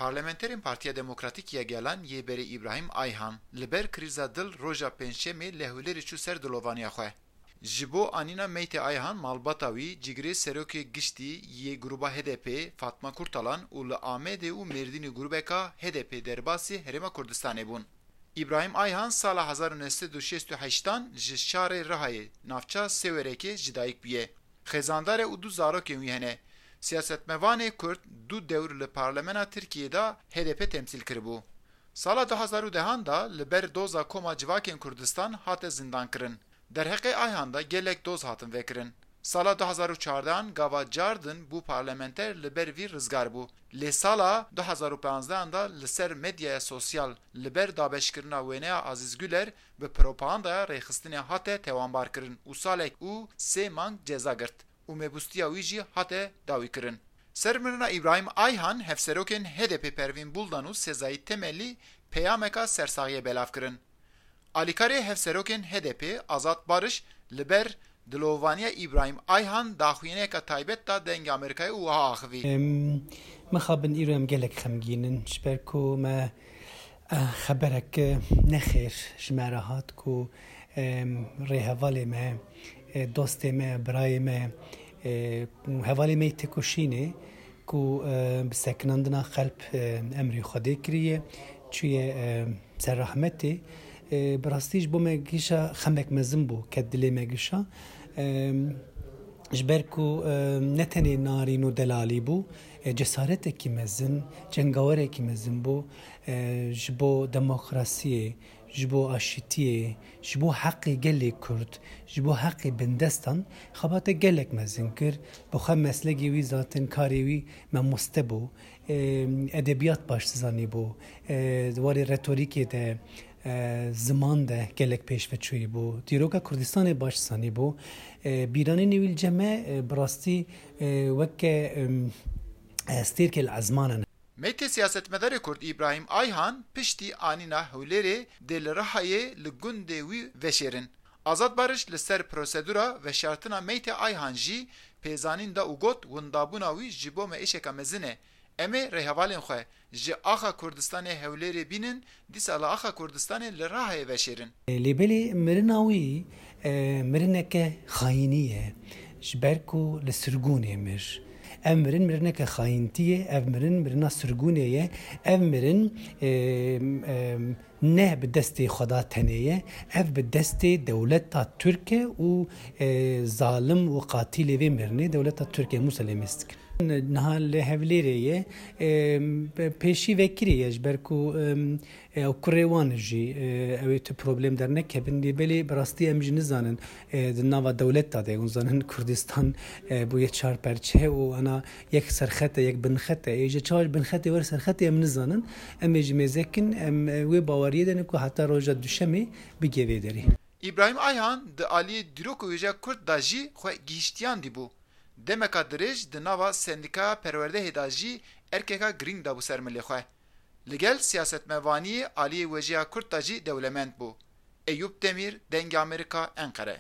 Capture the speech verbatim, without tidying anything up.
Parlamenterên Partiya Demokratîk ya Gelan yê berê Îbrahîm Ayhan li ber krîza dil roja Pêncşemê li Hewlêrê çû ser dilovaniya xwe. Ji bo anîna meytê Ayhan malbata wî, cigirê serokê giştî yê grûba H D P Fatma Kurtalan û li Amedê û Mêrdînê grûbeka H D P derbasî Herêma Kurdistanê bûn. Îbrahîm Ayhan sala hezar û neh sed û şêst û heştan ji şarê Rihayê, navça Sêwerekê ji dayik bûye. Xêzandar e û du zarokên wî hene. Siyasetmevanê Kurd du dewr li Parlemena Tirkiyê de H D P temsîl kiribû. Sala du hezar û dehan de li ber doza Koma Civakên Kurdistan hate zindankirin. Derheqê Ayhan de gelek doz hatin vekirin. Sala du hezar û çardehan gava cardin bû parlamenter li ber vî rizgar bû. Lê sala du hezar û panzdehan de li ser medyaya sosyal li ber dabeşkirina wêneya Azîz Güler bi propagandaya rêxistinê hate tewanbar kirin û salek û sê mang ceza girt û mebûstiya wî jî hate dawî kirin. Ser mirina Îbrahîm Ayhan, hevserokên H D P Pervîn Buldan û Sezai Temelî peyameka sersaxiyê belav kirin. Alîkarê hevserokên H D P Azad Barış li ber dilovaniya Îbrahîm Ayhan daxuyaniyeke taybet da Dengê Amerîkayê û wiha axivî. Em, mixabin îro em gelek xemgîn in, ji ber ku me, eh, xeberek, eh, nexêr ji me re hat ku, em, rêhevalê me, eh, dostê me, birayê me, eh, hevalê me yê têkoşînê ku, eh, bi sekinandina qelb, eh, emrê Xwedê kiriye, çûye, eh, ser rehmetê. Eh, bi rastî ji bo me gişa xemek mezin bû, ket dilê me gişa. Em, ji ber ku, em, ne tenê narîn û delalî bû, e, cesaretekî mezin, cengawerekî mezin bû, e, ji bo demokrasiyê, ji bo aşitiyê, ji bo heqê gelê Kurd, ji bo heqê bindestan xebate gelek mezin kir. Bi xwe meslegê wî zaten karê wî mamoste bû. E, edebiyat baş dizanîbû. E, di warê retorîkê de, e, ziman de gelek pêşveçûyî bû. Dîroka Kurdistanê baş dizanîbû. E, bîranînê wî li cem me, e, bi rastî, e, weke, em, e, stêrkê li ezmanan e. Meytê siyasetmedarê Kurd Îbrahîm Ayhan piştî anîna Hewlêrê dê li Rihayê li gundê wî veşêrin. Azad Barış li ser prosedura veşartina meytê Ayhan jî pêzanîn da û got, windabûna wî ji bo me êşeka mezin e. Em ê rêhevalên xwe ji axa Kurdistanê Hewlêrê bînin, dîsa li axa Kurdistanê li Rihayê veşêrin. Lê belê mirina wî, e, mirineke xayînî ye. Ji ber ku li sirgûnê mir. Ev mirin mirineke xayîntî ye, ev mirin mirina sirgûnê ye, ev mirin, e, e, ne bi destê Xweda tenê ye, ev bi destê dewleta Tirk e û, e, zalim û qatilê vê mirinê dewleta Tirk e, Musa Lêmêstik. Niha li Hewlêrê ye, e, pêşî vekirî ye ji ber ku, e, e, ew kurê wan jî, e, ew ê tu problem dernekevin, lê belê bi rastî em jî nizanin, e, di nava dewleta de, hûn zanin Kurdistan, e, bûye çar perçe û ana yek serxet e, yek binxet e. Ê ji çawa ji binxetê wer serxetê em nizanin. Em ê ji mêzekin, em, e, wê baweriyê de ne ku heta roja duşemê bigê vê derê. Îbrahîm Ayhan di aliyê dîrok û wêjeya Kurd de jî xwe gihîştiyandî bû. Demeka dirêj di nava Sendîkaya Perwerdehê de jî erkeka girîng dabû ser milê xwe. Li gel siyasetmevaniyê aliyê wêjeya Kurd de jî dewlemend bû. Eyûp Demîr, Dengê Amerîka, Enqere.